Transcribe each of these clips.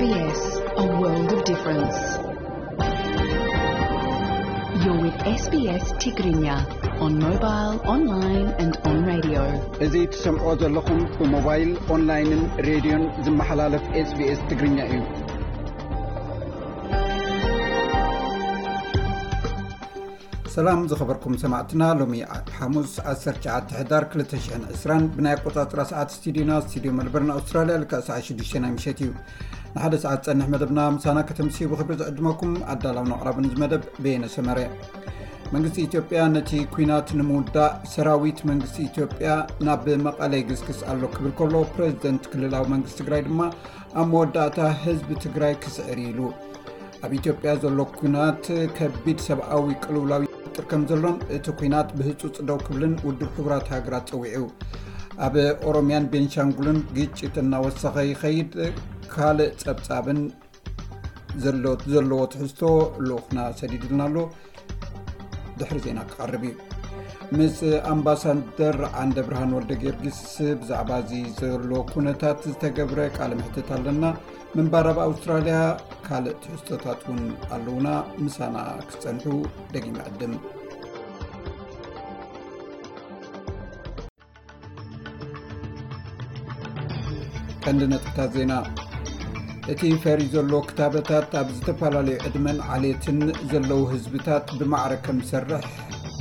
S B S, a world of difference. You're with S B S Tigrinya on mobile, online and on radio. እዚ ትሰምዖ ዘለኹም ብሞባይል፣ ኦንላይንን ሬድዮን ዝመሓላለፍ S B S ትግርኛ እዩ። ሰላም ዝኸበርኩም ሰማዕትና፣ ሎሚ ሓሙስ ዓሰርተ ትሽዓተ ሕዳር ክልተ ሽሕን ዕስራን ብናይ ኣቆጻጽራ ሰዓት ስቱዲዮና፣ ስቱዲዮ መልበርን ኣውስትራልያ፣ ልክዕ ሰዓት ሽዱሽተ ናይ ምሸት እዩ። ንሓደ ሰዓት ጸንሕ መደብና ምሳና ከተምስዩ ብኽብሪ ዝዕድመኩም ኣዳላውን ኣቕራብን እዚ መደብ በየነ ሰመረ። መንግስቲ ኢትዮጵያ ነቲ ኲናት ንምውዳእ ሰራዊት መንግስቲ ኢትዮጵያ ናብ መቐለ ይግስግስ ኣሎ ክብል ከሎ፣ ፕሬዚደንት ክልላዊ መንግስቲ ትግራይ ድማ ኣብ መወዳእታ ህዝቢ ትግራይ ክስዕር ኢሉ። ኣብ ኢትዮጵያ ዘሎ ኲናት ከቢድ ሰብኣዊ ቅልውላው ይፈጥር ከም ዘሎን እቲ ኲናት ብህጹጽ ደው ክብልን ውድብ ሕቡራት ሃገራት ጸዊዑ። ኣብ ኦሮሚያን ቤንሻንጉልን ግጭት እናወሰኸ ይኸይድ። ካልእ ጸብጻብን ዘሎ-፣ ዘለዎ ትሕዝቶ ልኡኽና ሰዲድልና ኣሎ። ድሕሪ ዜና ክቐርብ እዩ። ምስ ኣምባሳደር ዓንደ ብርሃን ወልደ ጊዮርጊስ ብዛዕባ እዚ ዘሎ ኩነታት ዝተገብረ ቃለ መሕትት ኣለና። ምንባር ኣብ ኣውስትራልያ ካልእ ትሕዝቶታት እውን ኣለዉና። ምሳና ክጸንሑ ደጊመ ዕድም። ቀንዲ ነጥብታት ዜና። እቲ ፈርዩ ዘሎ ክታበታት ኣብ ዝተፈላለዩ ዕድመን ዓሌትን ዘለዉ ህዝብታት ብማዕረ ከም ዝሰርሕ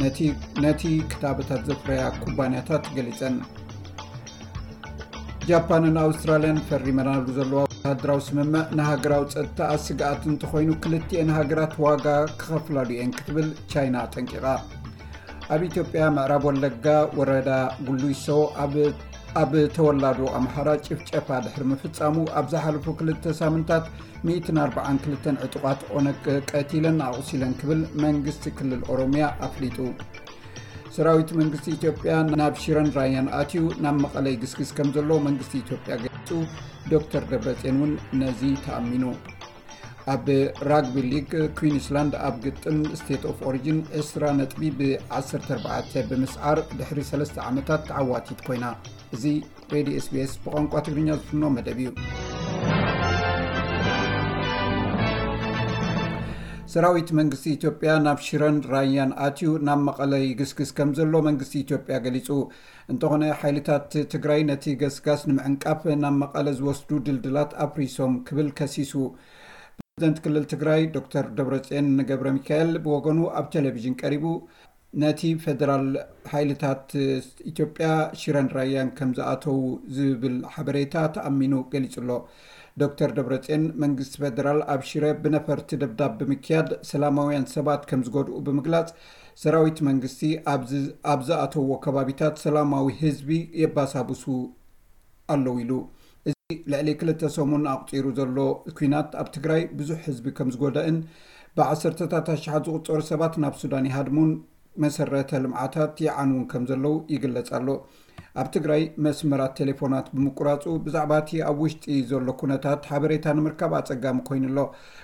ነቲ፣ ነቲ ክታበታት ዘፍረያ ኩባንያታት ገሊጸን። ጃፓንን ኣውስትራልያን ፈሪመናሉ ዘለዋ ወተሃደራዊ ስምምዕ ንሃገራዊ ጸጥታኣ ስግኣት እንተኾይኑ፣ ክልቲኤን ሃገራት ዋጋ ክኸፍላሉ እየን ክትብል ቻይና ኣጠንቂቓ። ኣብ ኢትዮጵያ ምዕራብ ወለጋ ወረዳ ጉሉይሶ ኣብ፣ ኣብ ተወላዶ ኣምሓራ ጭፍጨፋ ድሕሪ ምፍጻሙ፣ ኣብ ዝሓለፉ ክልተ ሳምንታት ሚእትን ኣርባዓን ክልተን ዕጡቓት ኦነግ ቀቲለን ኣቑሲለን ክብል መንግስቲ ክልል ኦሮሚያ ኣፍሊጡ። ሰራዊት መንግስቲ ኢትዮጵያ ናብ ሽረን ራያን ኣትዩ ናብ መቐለ ይግስግስ ከም ዘሎ መንግስቲ ኢትዮጵያ ገሊጹ። ዶክተር ደብረጽዮን እውን ነዚ ተኣሚኑ። ኣብ ራግቢ ሊግ፣ ኩዊንስላንድ ኣብ ግጥም ስቴት ኦፍ ኦሪጅን ዕስራ ነጥቢ ብዓሰርተ ኣርባዕተ ብምስዓር ድሕሪ ሰለስተ ዓመታት ተዓዋቲት ኮይና። እዚ ሬድዮ S B S ብቋንቋ ትግርኛ ዝፍኖ መደብ እዩ። ሰራዊት መንግስቲ ኢትዮጵያ ናብ ሽረን ራያን ኣትዩ ናብ መቐለ ይግስግስ ከም ዘሎ መንግስቲ ኢትዮጵያ ገሊጹ። እንተኾነ፣ ሓይልታት ትግራይ ነቲ ገስጋስ ንምዕንቃፍ ናብ መቐለ ዝወስዱ ድልድላት ኣፍሪሶም ክብል ከሲሱ። ፕሬዚደንት ክልል ትግራይ ዶክተር ደብረጽዮን ገብረ ሚካኤል ብወገኑ ኣብ ቴሌቪዥን ቀሪቡ፣ ነቲ ፌደራል ሓይልታት ኢትዮጵያ ሽረን ራያን ከም ዝኣተዉ ዝብል ሓበሬታ ተኣሚኑ ገሊጹ ኣሎ። ዶክተር ደብረጽዮን መንግስቲ ፌደራል ኣብ ሽረ ብነፈርቲ ደብዳብ ብምክያድ ሰላማውያን ሰባት ከም ዝጎድኡ ብምግላጽ፣ ሰራዊት መንግስቲ ኣብዚ፣ ኣብ ዝኣተውዎ ከባቢታት ሰላማዊ ህዝቢ የባሳብሱ ኣለዉ ኢሉ። እዚ ልዕሊ ክልተ ሰሙን ኣቑጺሩ ዘሎ ኲናት ኣብ ትግራይ ብዙሕ ህዝቢ ከም ዝጎደእን ብዓሰርተታት ኣሽሓት ዝቑጸሩ ሰባት ናብ ሱዳን ይሃድሙን መሰረተ ልምዓታት ይዓንዉን ከም ዘለዉ ይግለጽ ኣሎ። ኣብ ትግራይ መስመራት ቴሌፎናት ብምቁራጹ ብዛዕባ እቲ ኣብ ውሽጢ ዘሎ ኩነታት ሓበሬታ ንምርካብ ኣጸጋሚ ኮይኑ ኣሎ።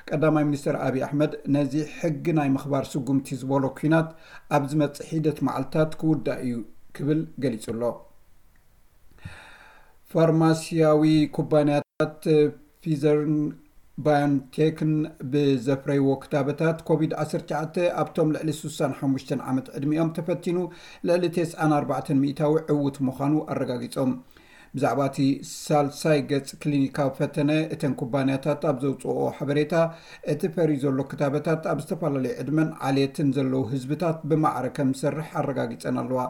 ቀዳማይ ሚኒስትር ኣብይ ኣሕመድ ነዚ ሕጊ ናይ ምኽባር ስጉምቲ ዝበሎ ኲናት ኣብ ዝመጽእ ሒደት መዓልታት ክውዳእ እዩ ክብል ገሊጹ ኣሎ። ፋርማሲያዊ ኩባንያታት ፊዘርን ባዮንቴክን ብዘፍረይዎ ክታበታት ኮቪድ ዓሰርተ ትሽዓተ ኣብቶም ልዕሊ ስሳን ሓሙሽተን ዓመት ዕድሚኦም ተፈቲኑ ልዕሊ ተስዓን ኣርባዕተን ሚእታዊ ዕዉት ምዃኑ ኣረጋጊጾም። ብዛዕባ እቲ ሳልሳይ ገጽ ክሊኒካዊ ፈተነ እተን ኩባንያታት ኣብ ዘውጽኦ ሓበሬታ፣ እቲ ፈርዩ ዘሎ ክታበታት ኣብ ዝተፈላለዩ ዕድመን ዓሌትን ዘለዉ ህዝብታት ብማዕረ ከም ዝሰርሕ ኣረጋጊጸን ኣለዋ።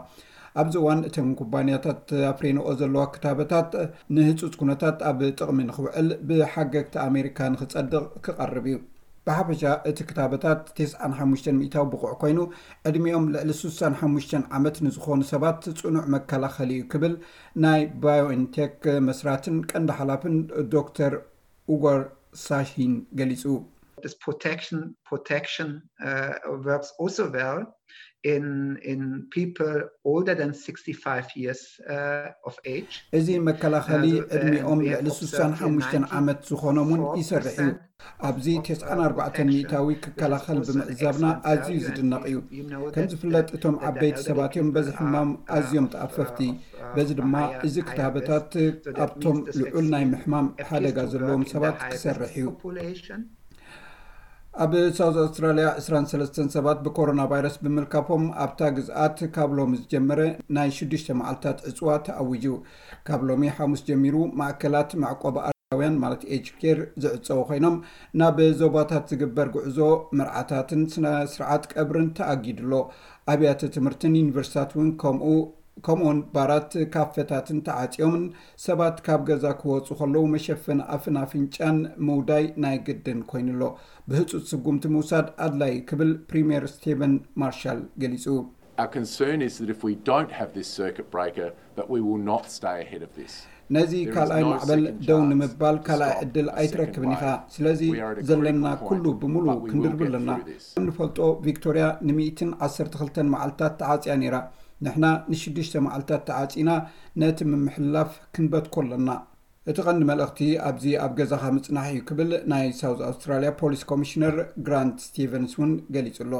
ኣብዚ እዋን እተን ኩባንያታት ኣፍሪንኦ ዘለዋ ክታበታት ንህጹጽ ኩነታት ኣብ ጥቕሚ ንኽውዕል ብሓገግቲ ኣሜሪካ ንኽጸድቕ ክቐርብ እዩ። ብሓፈሻ እቲ ክታበታት ተስዓን ሓሙሽተን ሚእታዊ ብቑዕ ኮይኑ፣ ዕድሚኦም ልዕሊ ስሳን ሓሙሽተን ዓመት ንዝኾኑ ሰባት ጽኑዕ መከላኸሊ እዩ ክብል ናይ ባዮንቴክ መስራትን ቀንዲ ሓላፍን ዶክተር ኡጎር ሳሂን ገሊጹ። This protection, protection, uh, works also well in, in people older than sixty-five years, uh, of age. እዚ መከላኸሊ Uh, ዕድሚኦም and we have ልዕሊ observed ስሳን ሓሙሽተን ዓመት ዝኾኖም እውን ይሰርሕ እዩ። ኣብዚ ተስዓን ኣርባዕተን ሚእታዊ ክከላኸል ብምዕዛብና ኣዝዩ ዝድነቕ እዩ። ከም ዝፍለጥ እቶም ዓበይቲ ሰባት እዮም በዚ ሕማም ኣዝዮም ተኣፈፍቲ። በዚ ድማ እዚ ክታበታት ኣብቶም ልዑል ናይ ምሕማም ሓደጋ ዘለዎም ሰባት ክሰርሕ እዩ። ኣብ ሳውዝ ኣውስትራልያ ዕስራን ሰለስተን ሰባት ብኮሮና ቫይረስ ብምልካፎም ኣብታ ግዝኣት ካብ ሎሚ ዝጀመረ ናይ ሽዱሽተ መዓልታት ዕፅዋ ተኣዊጁ። ካብ ሎሚ ሓሙስ ጀሚሩ ማእከላት መዕቆቢ ኣረጋውያን ማለት ኤጅ ኬር ዝዕፀው ኮይኖም ናብ ዞባታት ዝግበር ጉዕዞ መርዓታትን ስነ ስርዓት ቀብርን ተኣጊዱ ኣሎ። ኣብያተ ትምህርትን ዩኒቨርሲታት እውን ከምኡ ከምኡውን ባራት ካፈታትን ተዓፅዮምን ሰባት ካብ ገዛ ክወፁ ከለዉ መሸፈኒ ኣፍን ኣፍንጫን ምውዳይ ናይ ግድን ኮይኑሎ። ብህፁፅ ስጉምቲ ምውሳድ ኣድላይ ክብል ፕሪምየር ስቴቨን ማርሻል ገሊፁ። Our concern is that if we don't have this circuit breaker, that we will not stay ahead of this. ነዚ ካልኣይ ማዕበል ደው ንምባል ካልኣይ ዕድል ኣይትረክብን ኢኻ። ስለዚ ዘለና ኩሉ ብምሉእ ክንድርብ ኣለና። ከም ንፈልጦ ቪክቶርያ ንሚእትን ዓሰርተ ክልተን መዓልታት ተዓፅያ ነይራ። ንሕና ንሽዱሽተ መዓልታት ተዓፂና ነቲ ምምሕልላፍ ክንበትኮ ኣለና። እቲ ቀንዲ መልእኽቲ ኣብዚ ኣብ ገዛኻ ምጽናሕ እዩ ክብል ናይ ሳውዝ ኣውስትራልያ ፖሊስ ኮሚሽነር ግራንት ስቲቨንስ እውን ገሊጹ ኣሎ።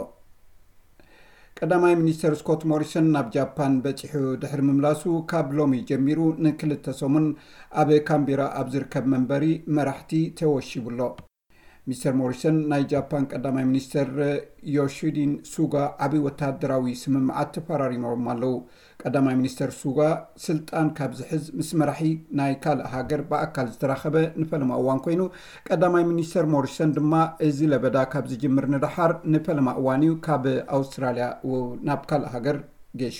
ቀዳማይ ሚኒስተር ስኮት ሞሪሰን ናብ ጃፓን በጺሑ ድሕሪ ምምላሱ ካብ ሎሚ ጀሚሩ ንክልተ ሰሙን ኣብ ካምቤራ ኣብ ዝርከብ መንበሪ መራሕቲ ተወሺቡ ኣሎ። ሚስተር ሞሪሰን ናይ ጃፓን ቀዳማይ ሚኒስተር ዮሺዲን ሱጋ ዓቢ ወተሃደራዊ ስምምዓት ተፈራሪሞም ኣለዉ። ቀዳማይ ሚኒስተር ሱጋ ስልጣን ካብ ዝሕዝ ምስ መራሒ ናይ ካልእ ሃገር ብኣካል ዝተራኸበ ንፈለማ እዋን ኮይኑ፣ ቀዳማይ ሚኒስተር ሞሪሰን ድማ እዚ ለበዳ ካብ ዝጅምር ንደሓር ንፈለማ እዋን እዩ ካብ ኣውስትራልያ ናብ ካልእ ሃገር ገሹ።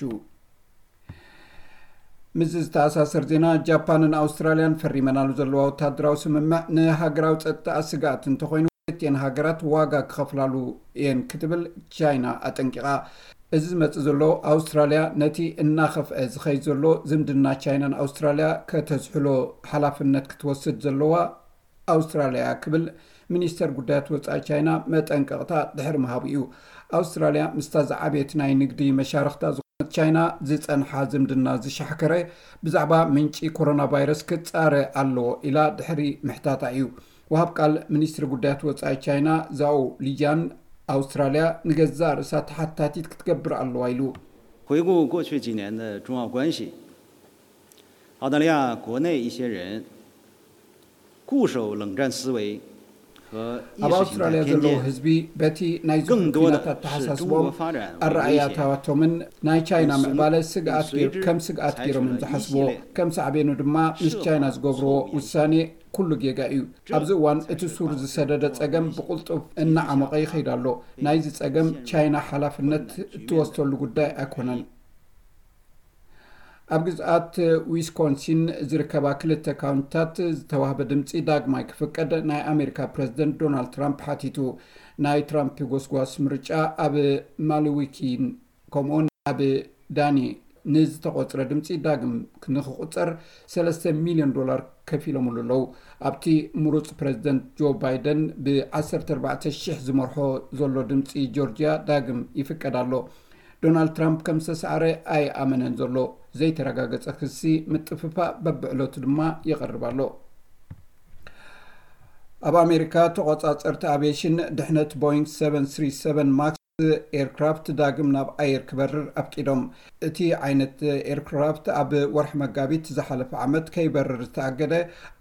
ምስ ዝተኣሳሰር ዜና፣ ጃፓንን ኣውስትራልያን ፈሪመናሉ ዘለዋ ወተሃደራዊ ስምምዕ ንሃገራዊ ጸጥታ ስግኣት እንተኾይኑ፣ ክልቲኤን ሃገራት ዋጋ ክኸፍላሉ እየን ክትብል ቻይና ኣጠንቂቓ። እዚ ዝመጽእ ዘሎ፣ ኣውስትራልያ ነቲ እናኸፍአ ዝኸይድ ዘሎ ዝምድና ቻይናን ኣውስትራልያ ከተዝሕሎ ሓላፍነት ክትወስድ ዘለዋ ኣውስትራልያ ክብል ሚኒስተር ጉዳያት ወጻኢ ቻይና መጠንቀቕታ ድሕሪ ምሃቡ እዩ። ኣውስትራልያ ምስታ ዝዓበየት ናይ ንግዲ መሻርኽታ ዝኾነት ቻይና ዝጸንሓ ዝምድና ዝሻሕከረ ብዛዕባ ምንጪ ኮሮና ቫይረስ ክጻረ ኣለዎ ኢላ ድሕሪ ምሕታታ እዩ። ወሃብ ቃል ሚኒስትሪ ጉዳያት ወጻኢ ቻይና ዛኦ ሊጃን ኣውስትራልያ ንገዛእ ርእሳ ተሓታቲት ክትገብር ኣለዋ ኢሉ። 回顾过去几年的中澳关系，澳大利亚国内一些人固守冷战思维和意 ኣብ 识形态 ኣውስትራልያ 偏 ዘለዉ 见， ህዝቢ በቲ ናይ ዝኹን 更多的 ኲናት 是中 ኣተሓሳስቦም 国发展为威胁。 ኣረኣእያታቶምን ናይ ቻይና 所 ምዕባለ ስግኣት 随之 ከም ስግኣት 采取 ገይሮም እዮም 了一系 ዝሓስብዎ። 列 ከም ሳዕቤኑ ድማ ምስ 设 ቻይና 法 ዝገብርዎ 措 ውሳኔ ኩሉ ጌጋ እዩ። ኣብዚ እዋን እቲ ሱር ዝሰደደ ጸገም ብቕልጡፍ እናዓመቐ ይኸይድ ኣሎ። ናይዚ ጸገም ቻይና ሓላፍነት እትወስደሉ ጉዳይ ኣይኮነን። ኣብ ግዝኣት ዊስኮንሲን ዝርከባ ክልተ ካውንቲታት ዝተዋህበ ድምፂ ዳግማይ ክፍቀድ ናይ ኣሜሪካ ፕረዚደንት ዶናልድ ትራምፕ ሓቲቱ። ናይ ትራምፕ ጎስጓስ ምርጫ ኣብ ማልዊኪን ከምኡውን ኣብ ዳኒ ንዝተቖፅረ ድምፂ ዳግም ንክቑፀር ሰለስተ ሚልዮን ዶላር ከፊሎምሉ ኣለዉ። ኣብቲ ምሩፅ ፕረዚደንት ጆ ባይደን ብ ዓሰርተ ኣርባዕተ ሽሕ ዝመርሖ ዘሎ ድምፂ ጆርጅያ ዳግም ይፍቀድ ኣሎ። ዶናልድ ትራምፕ ከም ዝተሰዓረ ኣይኣመነን ዘሎ። ዘይተረጋገጸ ክሲ ምጥፍፋእ በብዕለቱ ድማ ይቐርብ ኣሎ። ኣብ ኣሜሪካ ተቖጻጸርቲ ኣቪዬሽን ድሕነት ቦይንግ ሰቨን ስሪ ሰቨን ማክስ ኤርክራፍት ዳግም ናብ ኣየር ክበርር ኣፍቂዶም። እቲ ዓይነት ኤርክራፍት ኣብ ወርሒ መጋቢት ዝሓለፈ ዓመት ከይበርር ዝተኣገደ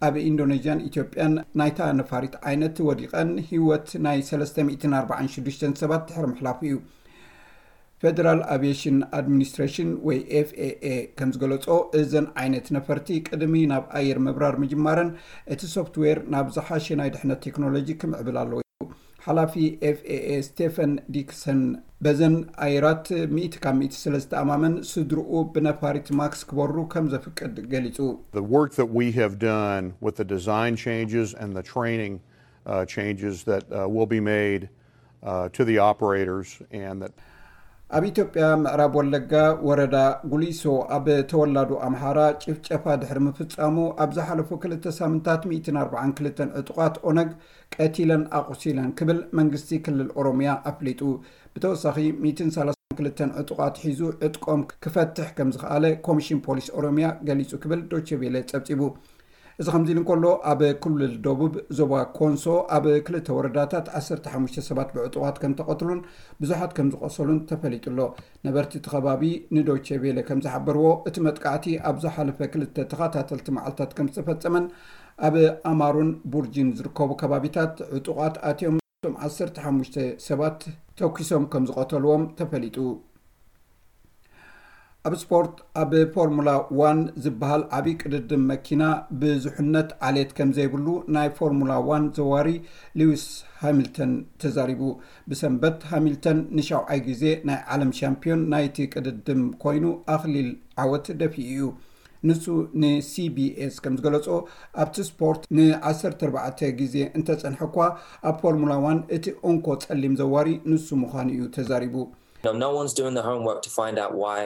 ኣብ ኢንዶኔዥያን ኢትዮጵያን ናይታ ነፋሪት ዓይነት ወዲቐን ህይወት ናይ ሰለስተ ሚእትን ኣርባዓን ሽዱሽተን ሰባት ድሕሪ ምሕላፉ እዩ። ፌደራል ኣቪዬሽን ኣድሚኒስትሬሽን ወይ ኤፍኤኤ ከም ዝገለጾ፣ እዘን ዓይነት ነፈርቲ ቅድሚ ናብ ኣየር ምብራር ምጅማረን እቲ ሶፍትዌር ናብ ዝሓሸ ናይ ድሕነት ቴክኖሎጂ ክምዕብል ኣለዎ ኢሉ። ሓላፊ ኤፍኤኤ ስቴፈን ዲክሰን በዘን ኣየራት ሚእቲ ካብ ሚእቲ ስለ ዝተኣማመን ስድርኡ ብነፋሪት ማክስ ክበሩ ከም ዘፍቅድ ገሊጹ። The work that we have done with the design changes and the training uh, changes that uh, will be made uh, to the operators and that ኣብ ኢትዮጵያ ምዕራብ ወለጋ ወረዳ ጉሊሶ ኣብ ተወላዶ ኣምሓራ ጭፍጨፋ ድሕሪ ምፍጻሙ ኣብ ዝሓለፉ ክልተ ሳምንታት ሚእትን ኣርባዓን ክልተን ዕጡቓት ኦነግ ቀቲለን ኣቑሲለን ክብል መንግስቲ ክልል ኦሮሚያ ኣፍሊጡ። ብተወሳኺ ሚእትን ሰላሳን ክልተን ዕጡቓት ሒዙ ዕጥቆም ክፈትሕ ከም ዝኸኣለ ኮሚሽን ፖሊስ ኦሮሚያ ገሊጹ ክብል ዶቼ ቬለ ጸብጺቡ። እዚ ከምዚ ኢሉ እንከሎ፣ ኣብ ክልል ደቡብ ዞባ ኮንሶ ኣብ ክልተ ወረዳታት ዓሰርተ ሓሙሽተ ሰባት ብዕጡቓት ከም ተቐትሉን ብዙሓት ከም ዝቆሰሉን ተፈሊጡ ኣሎ። ነበርቲ እቲ ከባቢ ንዶቼ ቬለ ከም ዝሓበርዎ፣ እቲ መጥቃዕቲ ኣብ ዝሓለፈ ክልተ ተኸታተልቲ መዓልታት ከም ዝተፈጸመን ኣብ ኣማሩን ቡርጂን ዝርከቡ ከባቢታት ዕጡቓት ኣትዮም እቶም ዓሰርተ ሓሙሽተ ሰባት ተኲሶም ከም ዝቐተልዎም ተፈሊጡ። ኣብ ስፖርት፣ ኣብ ፎርሙላ ዋን ዝበሃል ዓብዪ ቅድድም መኪና ብዙሕነት ዓሌት ከም ዘይብሉ ናይ ፎርሙላ ዋን ዘዋሪ ሊዊስ ሃሚልተን ተዛሪቡ። ብሰንበት ሃሚልተን ንሻውዓይ ግዜ ናይ ዓለም ሻምፒዮን ናይቲ ቅድድም ኮይኑ ኣኽሊል ዓወት ደፊኡ እዩ። ንሱ ንሲቢኤስ ከም ዝገለጾ፣ ኣብቲ ስፖርት ን ዓሰርተ ኣርባዕተ ግዜ እንተጸንሐ እኳ፣ ኣብ ፎርሙላ ዋን እቲ እንኮ ጸሊም ዘዋሪ ንሱ ምዃኑ እዩ ተዛሪቡ። No, no one's doing the homework to find out why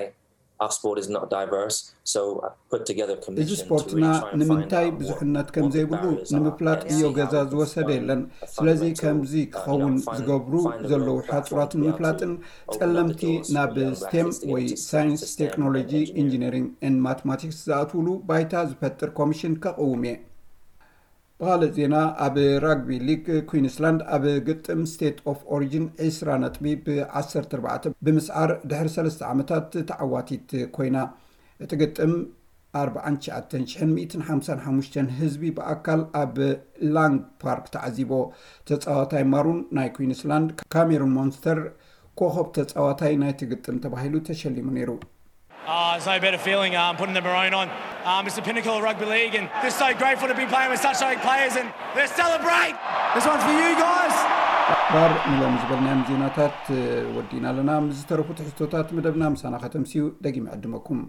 our sport is not diverse. So I put together a እዚ commission to ስፖርትና really try and find ንምንታይ out what, ብዙሕነት ከም what the ዘይብሉ barriers are. ንምፍላጥ And እዮ see ገዛ how we could ዝወሰደ find የለን። a ስለዚ fundamental, ከምዚ uh, you know, ክኸውን find, ዝገብሩ find the ዘለዉ right platform ሓጹራት to be able ንምፍላጥን to open up the ጸለምቲ doors ናብ for young ስቴም rappers to get ወይ into STEM, ሳይንስ፣ that's STEM, ቴክኖሎጂ፣ engineering. ኢንጂነሪንግ ን ማትማቲክስ ዝኣትውሉ ባይታ ዝፈጥር ኮሚሽን ከቕውም እየ። ብኻልእ ዜና፣ ኣብ ራግቢ ሊግ ኩዊንስላንድ ኣብ ግጥም ስቴት ኦፍ ኦሪጂን ዕስራ ነጥቢ ብ ዓሰርተ ኣርባዕተ ብምስዓር ድሕሪ ሰለስተ ዓመታት ተዓዋቲት ኮይና። እቲ ግጥም ኣርባዓን ትሽዓተን ሽሕን ሚእትን ሓምሳን ሓሙሽተን ህዝቢ ብኣካል ኣብ ላንግ ፓርክ ተዓዚቦ። ተጻዋታይ ማሩን ናይ ኩዊንስላንድ ካሜሩን ሞንስተር ኮኸብ ተጻዋታይ ናይቲ ግጥም ተባሂሉ ተሸሊሙ ነይሩ። Oh, there's no better feeling um, putting the maroon on. Um, it's the pinnacle of rugby league, and just so grateful to be playing with such great players, and let's celebrate. This one's for you guys. ባር ንሎም ዝበልናዮም ዜናታት ወዲና ኣለና። ምስ ዝተረፉ ትሕዝቶታት መደብና ምሳና ከተምስዩ ደጊም ዕድመኩም።